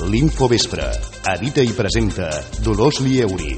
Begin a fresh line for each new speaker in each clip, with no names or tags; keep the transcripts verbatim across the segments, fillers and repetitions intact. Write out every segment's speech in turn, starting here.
L'Infovespre. Edita i presenta Dolors Lieuri.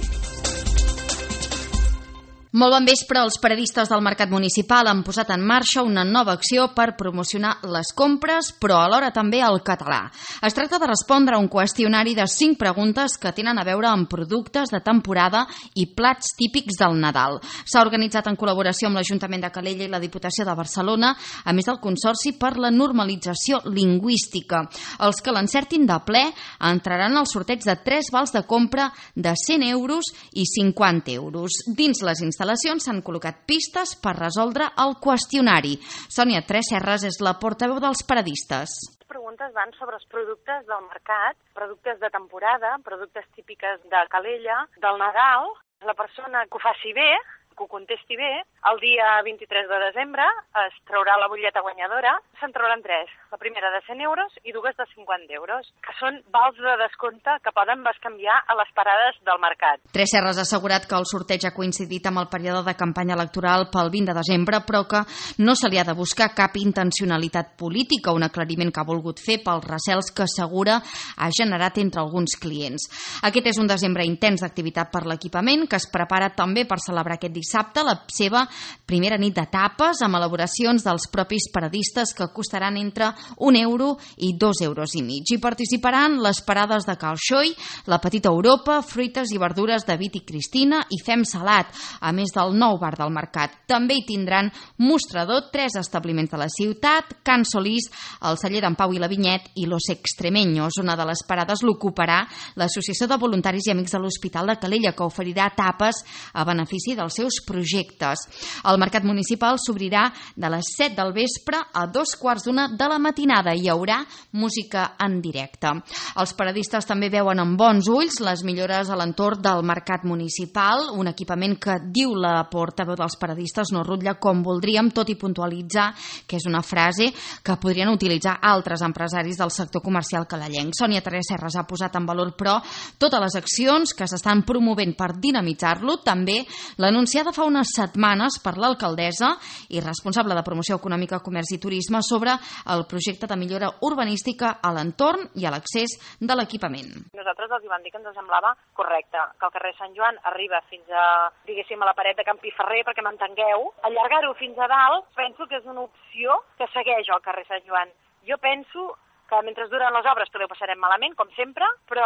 Molt bon vespre. Els periodistes del Mercat Municipal han posat en marxa una nova acció per promocionar les compres, però alhora també el català. Es tracta de respondre a un qüestionari de cinc preguntes que tenen a veure amb productes de temporada i plats típics del Nadal. S'ha organitzat en col·laboració amb l'Ajuntament de Calella i la Diputació de Barcelona, a més del Consorci per la Normalització Lingüística. Els que l'encertin de ple entraran al sorteig de tres vals de compra de cent euros i cinquanta euros. Dins les instal·lacions s'han col·locat pistes per resoldre el qüestionari. Sònia Tresserras és la portaveu dels periodistes.
Les preguntes van sobre els productes del mercat, productes de temporada, productes típiques de Calella, del Nadal. La persona que ho faci bé, que ho contesti bé, el dia vint-i-tres de desembre es traurà la butlleta guanyadora. Se'n trauran tres, la primera de cent euros i dues de cinquanta euros, que són vals de descompte que poden bescanviar a les parades del mercat.
Tresserras ha assegurat que el sorteig ha coincidit amb el període de campanya electoral pel vint de desembre, però que no se li ha de buscar cap intencionalitat política, un aclariment que ha volgut fer pels recels que assegura ha generat entre alguns clients. Aquest és un desembre intens d'activitat per l'equipament, que es prepara també per celebrar aquest dissabte la seva primera nit de tapes amb elaboracions dels propis paradistes que costaran entre un euro i dos euros i mig. Hi participaran les parades de Cal Xoi, la Petita Europa, fruites i verdures de Vit i Cristina i Fem Salat, a més del nou bar del mercat. També hi tindran mostrador tres establiments de la ciutat, Can Solís, el celler d'en Pau i la Vinyet i Los Extremeños. Una de les parades l'ocuparà l'Associació de Voluntaris i Amics de l'Hospital de Calella, que oferirà tapes a benefici dels seus projectes. El Mercat Municipal s'obrirà de les set del vespre a dos quarts d'una de la matinada i hi haurà música en directe. Els periodistes també veuen amb bons ulls les millores a l'entorn del Mercat Municipal, un equipament que, diu la portaveu dels periodistes, no rutlla com voldríem, tot i puntualitzar que és una frase que podrien utilitzar altres empresaris del sector comercial calellenc. Sònia Tresserras ha posat en valor, però, totes les accions que s'estan promovent per dinamitzar-lo, també l'anunciada fa unes setmanes per l'alcaldessa i responsable de Promoció Econòmica, Comerç i Turisme sobre el projecte de millora urbanística a l'entorn i a l'accés de l'equipament.
Nosaltres els hi vam dir que ens semblava correcte, que el carrer Sant Joan arriba fins a, diguéssim, a la paret de Can Piferrer, perquè m'entengueu. Allargar-ho fins a dalt penso que és una opció que segueix el carrer Sant Joan. Jo penso que mentre duren les obres també ho passarem malament, com sempre, però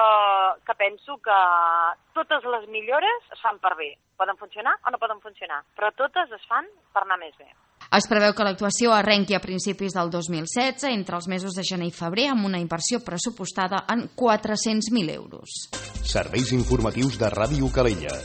que penso que totes les millores es fan per bé. Poden funcionar o no poden funcionar, però totes es fan per anar més bé.
Es preveu que l'actuació arrenqui a principis del dos mil setze, entre els mesos de gener i febrer, amb una inversió pressupostada en quatre-cents mil euros.
Serveis informatius de Ràdio Calella.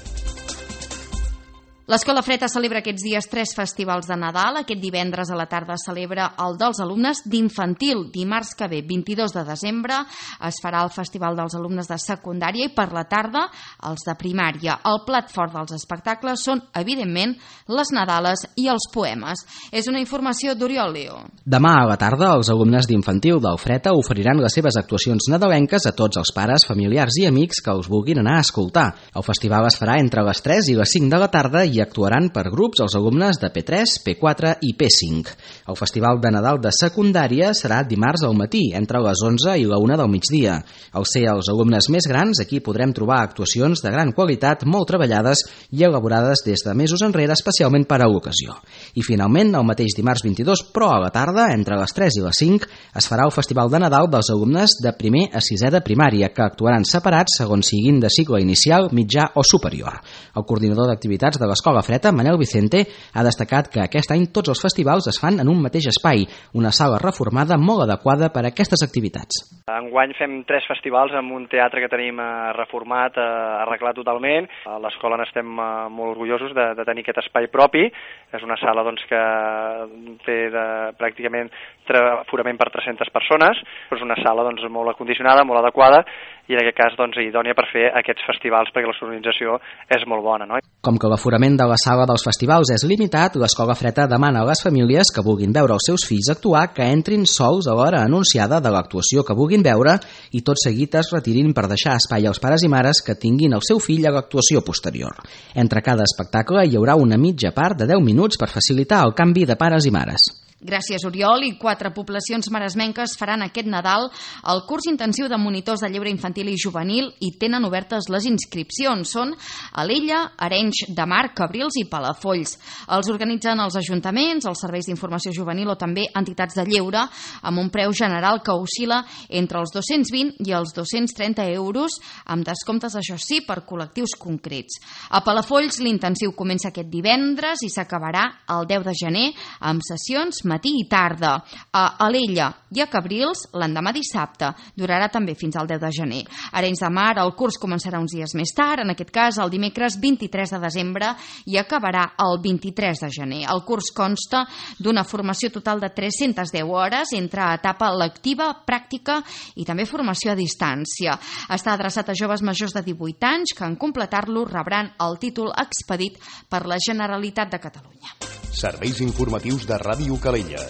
L'Escola Freta celebra aquests dies tres festivals de Nadal. Aquest divendres a la tarda celebra el dels alumnes d'infantil. Dimarts que ve, vint-i-dos de desembre, es farà el Festival dels alumnes de secundària i per la tarda els de primària. El plat fort dels espectacles són, evidentment, les Nadales i els poemes. És una informació d'Oriol Leo.
Demà a la tarda, els alumnes d'infantil del Freta oferiran les seves actuacions nadalenques a tots els pares, familiars i amics que els vulguin anar a escoltar. El festival es farà entre les tres i les cinc de la tarda i actuaran per grups els alumnes de P tres, P quatre i P cinc. El Festival de Nadal de secundària serà dimarts al matí, entre les onze i la una del migdia. Al ser els alumnes més grans, aquí podrem trobar actuacions de gran qualitat, molt treballades i elaborades des de mesos enrere, especialment per a l'ocasió. I finalment, el mateix dimarts vint-i-dos, però a la tarda, entre les tres i les cinc, es farà el Festival de Nadal dels alumnes de primer a sisè de primària, que actuaran separats segons siguin de cicle inicial, mitjà o superior. El coordinador d'activitats de l'Escola Freta, Manel Vicente, ha destacat que aquest any tots els festivals es fan en un mateix espai, una sala reformada molt adequada per a aquestes activitats.
Enguany fem tres festivals amb un teatre que tenim reformat, arreglat totalment. A l'escola n'estem molt orgullosos de, de tenir aquest espai propi. És una sala doncs, que té de, pràcticament aforament per tres-centes persones. És una sala doncs, molt acondicionada, molt adequada i en aquest cas doncs, idònia per fer aquests festivals perquè la sonorització és molt bona. No?
Com que l'aforament de la sala dels festivals és limitat, l'Escola Freta demana a les famílies que vulguin veure els seus fills actuar que entrin sols a l'hora anunciada de l'actuació que vulguin veure i tot seguit es retirin per deixar espai als pares i mares que tinguin el seu fill a l'actuació posterior. Entre cada espectacle hi haurà una mitja part de deu minuts per facilitar el canvi de pares i mares.
Gràcies, Oriol, i quatre poblacions maresmenques faran aquest Nadal el curs intensiu de monitors de lleure infantil i juvenil i tenen obertes les inscripcions. Són Alella, Arenys de Mar, Cabrils i Palafolls. Els organitzen els ajuntaments, els serveis d'informació juvenil o també entitats de lleure, amb un preu general que oscil·la entre els dos-cents vint i els dos-cents trenta euros, amb descomptes, això sí, per col·lectius concrets. A Palafolls l'intensiu comença aquest divendres i s'acabarà el deu de gener amb sessions matí i tarda. A Alella i a Cabrils l'endemà dissabte. Durarà també fins al deu de gener. A Arenys de Mar el curs començarà uns dies més tard, en aquest cas el dimecres vint-i-tres de desembre i acabarà el vint-i-tres de gener. El curs consta d'una formació total de tres-centes deu hores entre etapa lectiva, pràctica i també formació a distància. Està adreçat a joves majors de divuit anys que en completar-lo rebran el títol expedit per la Generalitat de Catalunya.
Serveis informatius de Ràdio Calella.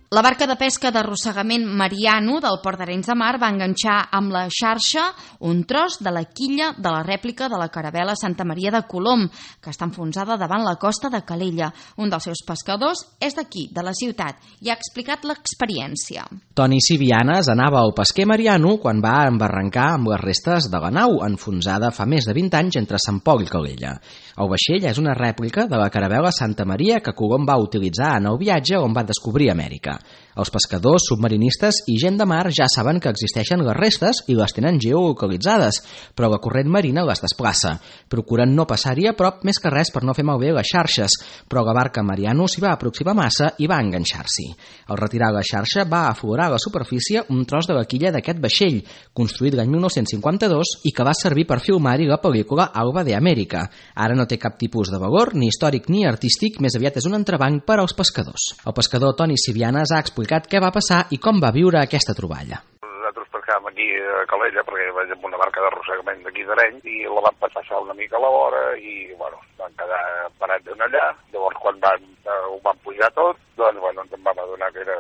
La barca de pesca d'arrossegament Mariano del Port d'Arenys de Mar va enganxar amb la xarxa un tros de la quilla de la rèplica de la caravela Santa Maria de Colom, que està enfonsada davant la costa de Calella. Un dels seus pescadors és d'aquí, de la ciutat, i ha explicat l'experiència.
Toni Sivianes anava al pesquer Mariano quan va embarrancar amb les restes de la nau, enfonsada fa més de vint anys entre Sant Pol i Calella. El vaixell és una rèplica de la caravela Santa Maria que Colom va utilitzar en el viatge on va descobrir Amèrica. Els pescadors, submarinistes i gent de mar ja saben que existeixen les restes i les tenen geolocalitzades, però la corrent marina les desplaça. Procuren no passar-hi a prop més que res per no fer malbé les xarxes, però la barca Mariano s'hi va aproximar massa i va enganxar-s'hi. Al retirar la xarxa va aflorar a la superfície un tros de la quilla d'aquest vaixell, construït l'any mil nou-cents cinquanta-dos i que va servir per filmar-hi la pel·lícula Alba de Amèrica. Ara no té cap tipus de valor, ni històric ni artístic, més aviat és un entrebanc per als pescadors. El pescador Toni Sivianes ha explicat què va passar i com va viure aquesta troballa.
Nosaltres pescàvem aquí a Calella perquè vaig amb una barca d'arrossegament d'aquí d'Arenys i la vam passar una mica a la vora i bueno, van quedar parats en allà. Llavors quan van, eh, ho van pujar tot, doncs bueno, ens en vam adonar que era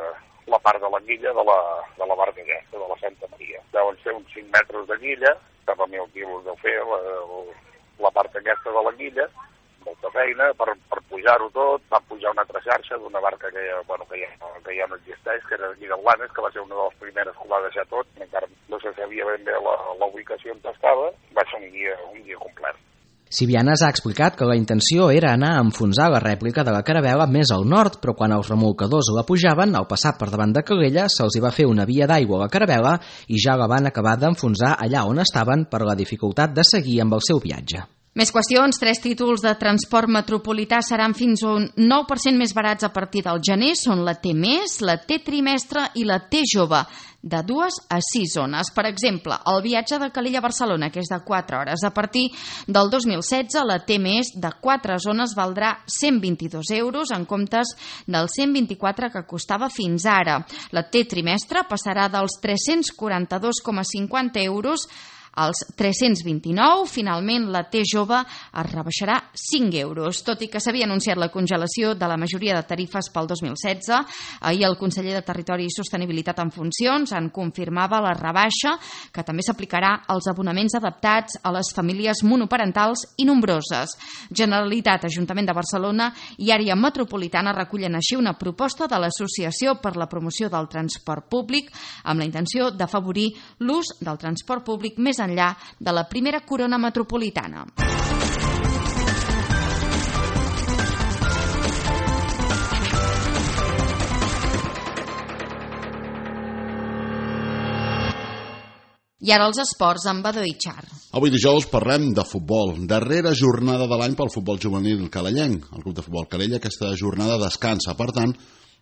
la part de la quilla de la, de la barca aquesta, de la Santa Maria. Deuen ser uns cinc metres de quilla, cap a mil quilos deu fer la, la part aquesta de la quilla, molta feina per, per pujar-ho tot. Van pujar una altra xarxa d'una barca que ja, bueno, que, ja, que ja no existeix, que era d'aquí de Blanes, que va ser una de les primeres que ho va deixar tot, encara no se sabia ben bé la, la ubicació on estava. Va ser un dia, un dia complet.
Sivianes ha explicat que la intenció era anar a enfonsar la rèplica de la caravela més al nord, però quan els remolcadors la pujaven, al passar per davant de Calella, se'ls hi va fer una via d'aigua a la caravela i ja la van acabar d'enfonsar allà on estaven per la dificultat de seguir amb el seu viatge.
Més qüestions, tres títols de transport metropolità seran fins a un nou per cent més barats a partir del gener. Són la T més, la T trimestre i la T jove, de dues a sis zones. Per exemple, el viatge de Calella a Barcelona, que és de quatre hores. A partir del dos mil setze, la T més de quatre zones valdrà cent vint-i-dos euros en comptes dels cent vint-i-quatre que costava fins ara. La T trimestre passarà dels tres-cents quaranta-dos coma cinquanta euros als tres-cents vint-i-nou. Finalment, la T jove es rebaixarà cinc euros. Tot i que s'havia anunciat la congelació de la majoria de tarifes pel dos mil setze, ahir el conseller de Territori i Sostenibilitat en funcions en confirmava la rebaixa, que també s'aplicarà als abonaments adaptats a les famílies monoparentals i nombroses. Generalitat, Ajuntament de Barcelona i Àrea Metropolitana recullen així una proposta de l'Associació per la Promoció del Transport Públic amb la intenció d'afavorir l'ús del transport públic més enllà de la primera corona metropolitana. I ara els esports amb Badó i Char.
Avui dijous parlem de futbol. Darrera jornada de l'any pel futbol juvenil calellenc. El club de futbol Calella aquesta jornada descansa. Per tant,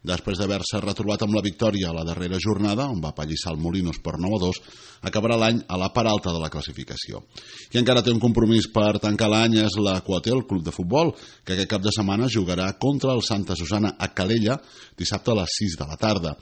després d'haver-se retrobat amb la victòria a la darrera jornada, on va pallissar el Molinos per nou a dos, acabarà l'any a la part alta de la classificació. Qui encara té un compromís per tancar l'any és la Coaté, el club de futbol, que aquest cap de setmana jugarà contra el Santa Susana a Calella dissabte a les sis de la tarda.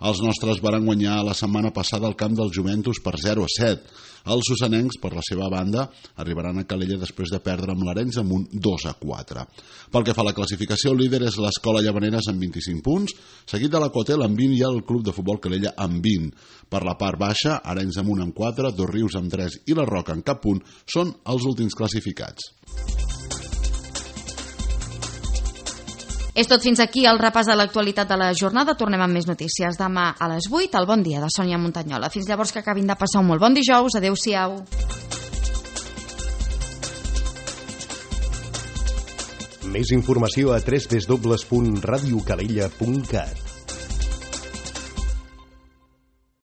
Els nostres varen guanyar la setmana passada al camp del Juventus per zero a set. Els susanencs, per la seva banda, arribaran a Calella després de perdre amb l'Arenys amb un dos a quatre. Pel que fa a la classificació, el líder és l'Escola Llavaneres amb vint-i-cinc punts, seguit de la Coatel amb vint i el Club de Futbol Calella amb vint. Per la part baixa, Arenys amb un amb quatre, Dos Rius amb tres i la Roca amb cap punt són els últims classificats.
És tot fins aquí el repàs de l'actualitat de la jornada. Tornem amb més notícies demà a les vuit. El bon dia de Sònia Montanyola. Fins llavors, que acabin de passar un molt bon dijous. Adéu-siau.
Més informació a w w w punt radio calella punt cat.